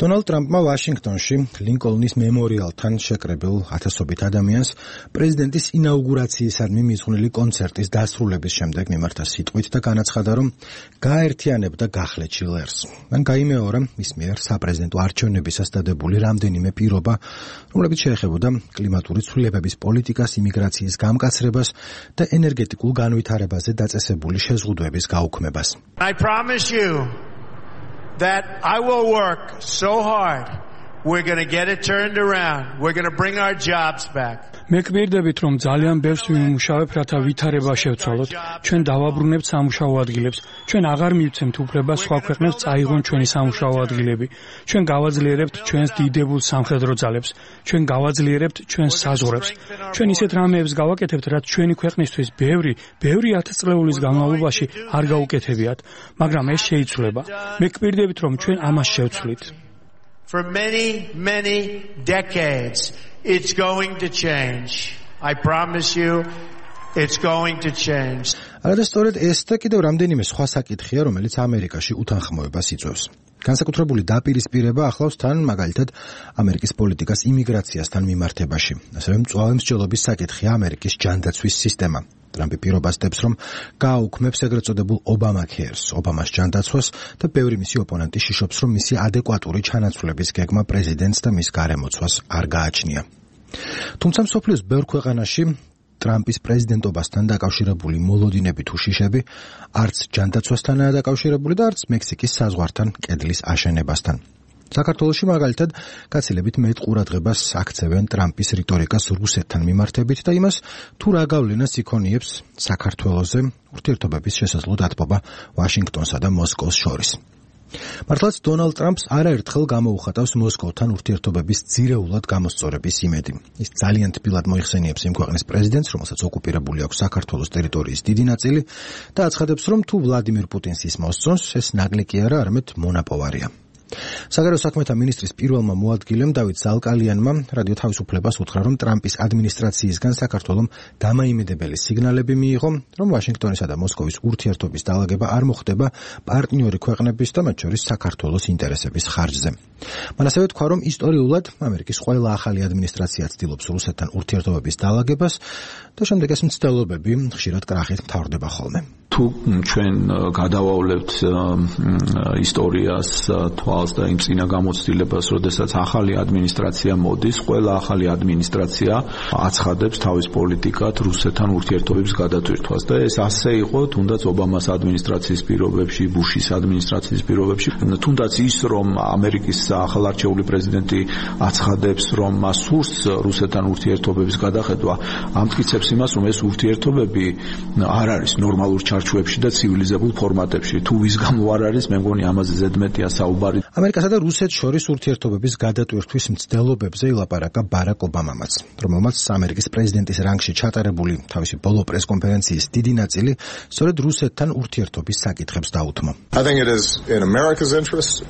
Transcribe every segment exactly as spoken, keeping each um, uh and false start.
დონალდ ტრამპმა ვაშინგტონში ლინკოლნის მემორიალთან შეკრებილ ათასობით ადამიანს პრეზიდენტის ინაუგურაციისადმი მიძღვნილი კონცერტის დასრულების შემდეგ მიმართა სიტყვით და განაცხადა, რომ გააერთიანებდა გახლეჩილ ერს. მან გაიმეორა მის მიერ საპრეზიდენტო არჩევნებისას დადებული რამდენიმე პირობა, რომლებიც შეეხებოდა კლიმატური ცვლილებების პოლიტიკას, იმიგრაციის გამკაცრებას და ენერგეტიკულ განვითარებაზე დაწესებული შეზღუდვების გაუქმებას. I promise you that I will work so hard. We're going to get it turned around. We're going to bring our jobs back. მე გვერდებით რომ ძალიან ბევრს ვიმუშავებ, რათა ვითარება შევცვალოთ. ჩვენ დავაბრუნებთ სამუშაო ადგილებს. ჩვენ აღარ მივცემთ უფლებას სხვა ქვეყნებს წაიღონ ჩვენი სამუშაო ადგილები. ჩვენ გავაძლიერებთ ჩვენს დიდებულ სამხედრო ძალებს. ჩვენ გავაძლიერებთ ჩვენს საზღვრებს. ჩვენ ისეთ რამეებს გავაკეთებთ, რაც ჩვენი ქვეყნისთვის ბევრი, ბევრი ათასწლეულის განმავლობაში არ გაუკეთებიათ, მაგრამ ეს შეიცვლება. მე გვერდებით რომ ჩვენ ამას შევცვლით. For many, many decades, it's going to change. I promise you, it's going to change. არა და სწორედ ეს და კიდევ რამდენიმე სხვა საკითხია, რომელიც ამერიკაში უთანხმოებას იწვევს. განსაკუთრებული დაპირისპირება ახლავს თან მაგალითად ამერიკის პოლიტიკას იმიგრაციასთან მიმართებაში. ასევე მწვავე მსჯელობის საკითხია ამერიკის ჯანდაცვის სისტემა. ტრამპი პირობასდებს, რომ გააუქმებს ეგრეთ წოდებულ ობამაქერს, ობამას ჯანდაცვას და ბევრი მისი ოპონენტი შიშობს, რომ მისი ადეკვატური ჩანაცვლების გეგმა პრეზიდენტს და მის გარემოცვას არ გააჩნია. თუმცა მსოფლიოს ბევრ ქვეყანაში ტრამპის პრეზიდენტობასთან დაკავშირებული მოლოდინები თუ შიშები არც ჯანდაცვასთანაა დაკავშირებული და არც მექსიკის საზღვართან კედლის აშენებასთან. საქართველოში მაგალითად გაცილებით მეტ ყურადღებას აქცევენ ტრამპის რიტორიკას რუსეთთან მიმართებით და იმას, თუ რა გავლენას იქონიებს საქართველოზე ურთიერთობების შესაძლო დათბობა ვაშინგტონსა და მოსკოვს შორის. მართლაც დონალდ ტრამპს არაერთხელ გამოუხატავს მოსკოვთან ურთიერთობების ძირეულად გამოსწორების იმედი. ის ძალიან თბილად მოიხსენიებს იმ ქვეყნის პრეზიდენტს, რომელსაც ოკუპირებული აქვს საქართველოს ტერიტორიის დიდი ნაწილი და აცხადებს, რომ თუ ვლადიმირ პუტინს ის მოსწონს, ეს ნაკლი კი არა, არამედ მონაპოვარია. საგარეო საქმეთა მინისტრის პირველმა მოადგილემ დავით ზალკალიანმა რადიო თავისუფლებას უთხრა, რომ ტრამპის ადმინისტრაციისგან საქართველომ დამაიმედებელი სიგნალები მიიღო, რომ ვაშინგტონისა და მოსკოვის ურთიერთობის დაალაგება არ მოხდება პარტნიორი ქვეყნების და მათ შორის საქართველოს ინტერესების ხარჯზე. მან ასევე თქვა, რომ ისტორიულად ამერიკის ყველა ახალი ადმინისტრაცია ცდილობს რუსეთთან ურთიერთობების დაალაგებას და შემდეგ ეს მცდელობები ხშირად კრახით მთავრდება ხოლმე. თუ ჩვენ გადავავლებთ ისტორიას თვალს და იმ წინა გამოცდილებას, როდესაც ახალი ადმინისტრაცია მოდის, ყველა ახალი ადმინისტრაცია აცხადებს თავის პოლიტიკად რუსეთთან ურთიერთობების გადატვირთვას და ეს ასე იყო თუნდაც ობამას ადმინისტრაციის პირობებში, ბუშის ადმინისტრაციის პირობებში, თუნდაც ის რომ ამერიკის ახალარჩეული პრეზიდენტი აცხადებს, რომ მას სურს რუსეთთან ურთიერთობების გადახედვა, ამტკიცებს იმას, რომ ეს ურთიერთობები არ არის ნორმალურ ჩარჩოებში და ცივილიზებულ ფორმატებში. თუ ვის გამო არ არის, მე მგონი ამაზე ზედმეტია საუბარი. ამერიკასა და რუსეთს შორის ურთიერთობების გადატვირთვის მცდელობებზე ილაპარაკა ბარაკ ობამამაც, რომელმაც ამერიკის პრეზიდენტის რანგში ჩატარებული თავისი ბოლო პრესკონფერენციის დიდი ნაწილი სწორედ რუსეთთან ურთიერთობის საკითხებს დაუთმო. I think it is in America's interest.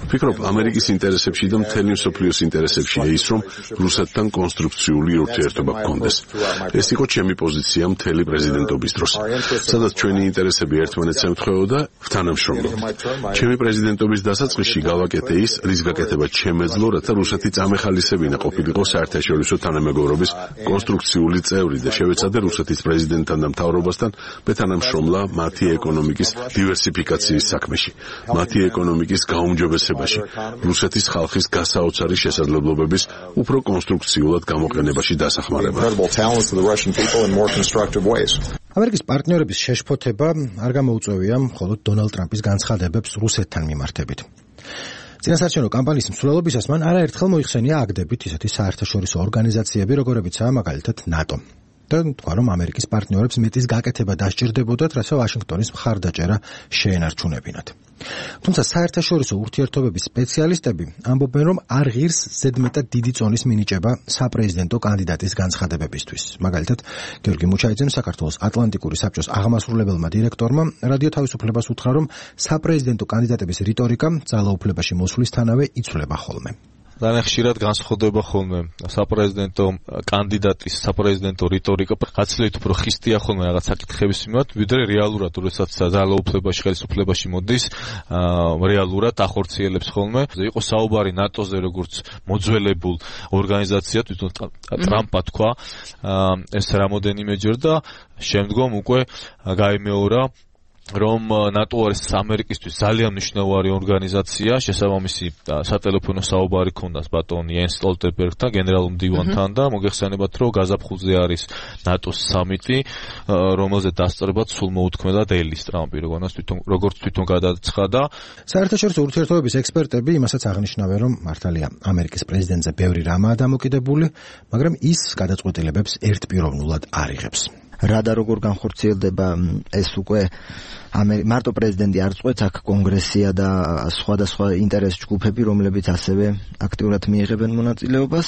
ვფიქრობ, ამერიკის ინტერესებში და მთელი მსოფლიოს ინტერესებშია ის, რომ რუსეთთან კონსტრუქციული ურთიერთობა გქონდეს. ეს იყო ჩემი პოზიცია მთელი პრეზიდენტობის დროს, სადაც ჩვენი ინტერესები ერთმანეთს ემთხვეოდა თანამშრომლობით. ჩემი პრეზიდენტობის დასაწყისში გავაკეთე ის, რის გაკეთება ჩემეძლო, რათა რუსეთი წამეხალისებინა ყოფილიყო საერთაშორისო თანამეგობრობის კონსტრუქციული წევრი და შევეცადე რუსეთის პრეზიდენტთან და მთავრობასთან ბეთანამშრომლა მათი ეკონომიკის დივერსიფიკაციის საქმეში, მათი ეკონომიკის გაუმჯობესებაში, რუსეთის ხალხის გასაოცარი შესაძლებლობების უფრო კონსტრუქციულად გამოყენებაში დასახმარება. ამერიკის პარტნიორების შეშფოთება არ გამოუწევია მხოლოდ დონალდ ტრამპის განცხადებებს რუსეთთან მიმართებით. წინასაარჩევნო კამპანიის მსვლელობისას მან არაერთხელ მოიხსენია აგდებით ისეთი საერთაშორისო ორგანიზაციები, როგორებიცაა მაგალითად ნატო. და თქვა, რომ ამერიკის პარტნიორებს მეტის გაკეთება დასჭირდებოდათ, რათა ვაშინგტონის მხარდაჭერა შეენარჩუნებინათ. თუმცა საერთაშორისო ურთიერთობების სპეციალისტები ამბობენ, რომ არ ღირს ზედმეტად დიდი წონის მინიჭება საპრეზიდენტო კანდიდატის განცხადებებისთვის. მაგალითად, გიორგი მუჩაიძემ საქართველოს ატლანტიკური საბჭოს აღმასრულებელმა დირექტორმა რადიო თავისუფლებას უთხრა, რომ საპრეზიდენტო კანდიდატების რიტორიკა ძალაუფლებაში მოსვლისთანავე იცვლება ხოლმე. ძალიან ხშირად განსხვავდება ხოლმე საპრეზიდენტო კანდიდატის საპრეზიდენტო რიტორიკა გაცილებით უფრო ხისტია ხოლმე რაღაც საკითხების მიმართ, ვიდრე რეალურად, როდესაც ძალაუფლებაში, ხელისუფლებაში მოდის, რეალურად ახორციელებს ხოლმე. იყო საუბარი ნატოზე, როგორც მოძველებულ ორგანიზაციად, თვითონ ტრამპმა თქვა ეს რამოდენიმეჯერ და შემდგომ უკვე გაიმეორა რომ ნატო არის ამერიკისთვის ძალიან მნიშვნელოვანი ორგანიზაცია, შესაბამისი სატელეფონო საუბარი ქონდას ბატონ იენს სტოლტენბერგთან, გენერალურ მდივანთან და მოგეხსენებათ, რომ გაზაფხულზე არის ნატოს სამიტი, რომელზე დასწრებად სულ მოუთქმედა დეილის ტრამპი, როგორც თვითონ როგორც თვითონ გადაცხადა. საერთაშორისო ურთიერთობების ექსპერტები იმასაც აღნიშნავენ, რომ მართალია ამერიკის პრეზიდენტზე ბევრი რამაა დამოკიდებული, მაგრამ ის გადაწყვეტილებებს ერთპიროვნულად არ იღებს. რა და როგორ განხორციელდება ეს უკვე მარტო პრეზიდენტი არ წყვეტს, აქ კონგრესია და სხვადასხვა ინტერეს ჯგუფები, რომლებიც ასევე აქტიურად მიიღებენ მონაწილეობას.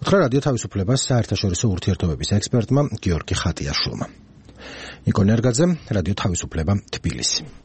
უთხრა რადიო თავისუფლებას საერთაშორისო ურთიერთობების ექსპერტმა გიორგი ხატიაშვილმა. ნიკო ნერგაძე, რადიო თავისუფლება, თბილისი.